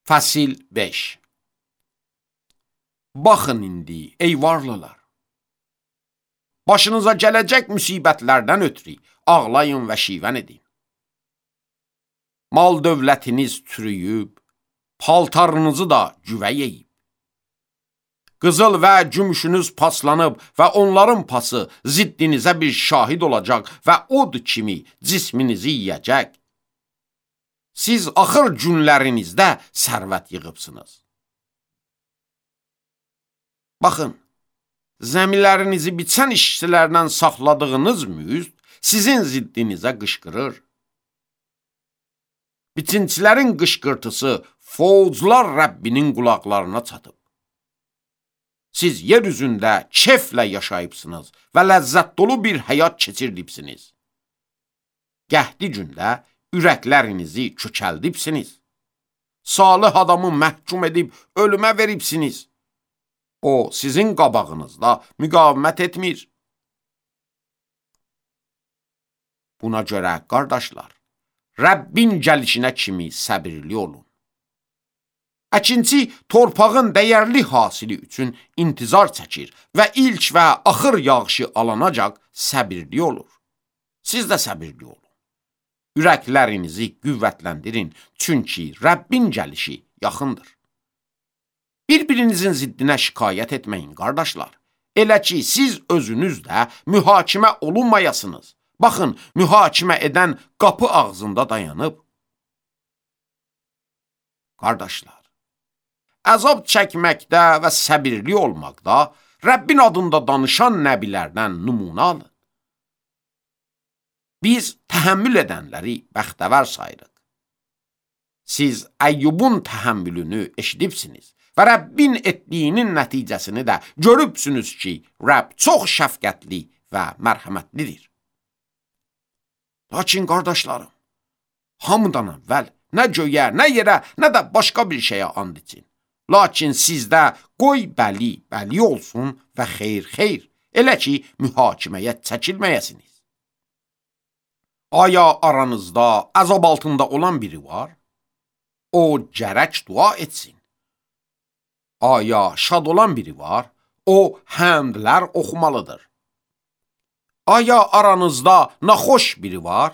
Fəsil 5. Baxın indi, ey varlılar. Başınıza gələcək müsibətlərdən ötürü ağlayın və şivən edin. Mal dövlətiniz çürüyüb, paltarınızı da güvə yeyib. Qızıl və gümüşünüz paslanıb və onların pası ziddinizə bir şahid olacaq və od kimi cisminizi yiyəcək. Siz axır günlərinizdə sərvət yığıbsınız. Baxın, zəmilərinizi biçən işçilərdən saxladığınız müst sizin ziddinizə qışqırır. Biçinçilərin qışqırtısı fovzlar Rəbbinin qulaqlarına çatıb. Siz yer üzündə keflə yaşayıbsınız və ləzzət dolu bir həyat keçirdibsiniz. Qəhdi gündə ürəklərinizi kökəldibsiniz. Salih adamı məhkum edib ölümə veribsiniz. O, sizin qabağınızda müqavimət etmir. Buna görə, qardaşlar, Rəbbin gəlişinə kimi səbirli olun. Əkinçi torpağın dəyərli hasili üçün intizar çəkir və ilk və axır yağışı alanacaq səbirli olur. Siz də səbirli olun. Ürəklərinizi qüvvətləndirin, çünki Rəbbin gəlişi yaxındır. Bir-birinizin ziddinə şikayət etməyin, qardaşlar. Elə ki, siz özünüz də mühakimə olunmayasınız. Baxın, mühakimə edən qapı ağzında dayanıb. Qardaşlar, əzab çəkməkdə və səbirli olmaqda Rəbbin adında danışan nəbilərdən nümunə alın. Biz təhəmmül edənləri bəxtəvər sayırıq. Siz Əyyubun təhəmmülünü eşidibsiniz və Rəbbin etdiyinin nəticəsini də görübsünüz ki, Rəbb çox şəfqətli və mərhəmətlidir. Lakin qardaşlarım, hamıdan əvvəl nə göyə, nə yerə, nə də başqa bir şeyə and için. Lakin sizdə qoy bəli, bəli olsun və xeyr, xeyr, elə ki, mühakiməyə çəkilməyəsiniz. Aya aranızda əzab altında olan biri var? O gərək dua etsin. Aya şad olan biri var? O həmdlər oxumalıdır. Aya aranızda naxoş biri var?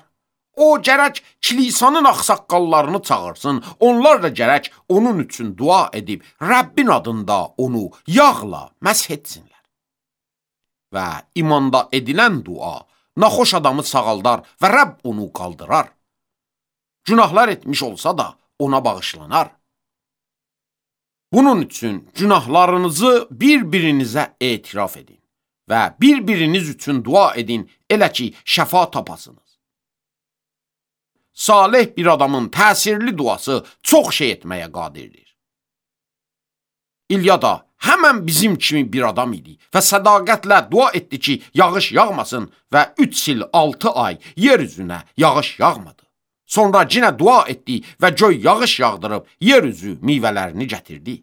O gərək kilisanın ağsaqqallarını çağırsın, onlar da gərək onun üçün dua edib, Rəbbin adında onu yağla məsh etsinlər. Və imanda edilən dua naxoş adamı sağaldar və Rəbb onu qaldırar. Günahlar etmiş olsa da ona bağışlanar. Bunun üçün günahlarınızı bir-birinizə etiraf edin və bir-biriniz üçün dua edin, elə ki, şəfa tapasınız. Salih bir adamın təsirli duası çox şey etməyə qadirdir. İlya da həmən bizim kimi bir adam idi və sədaqətlə dua etdi ki, yağış yağmasın və 3 il 6 ay yer üzünə yağış yağmadı. Sonra yenə dua etdi və göy yağış yağdırıb yer üzü meyvələrini gətirdi.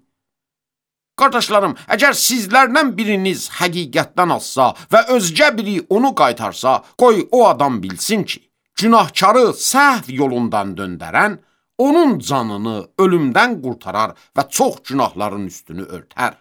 Qardaşlarım, əgər sizlərdən biriniz həqiqətdən azsa və özgə biri onu qaytarsa, qoy o adam bilsin ki, günahkarı səhv yolundan döndərən, onun canını ölümdən qurtarar və çox günahların üstünü örtər.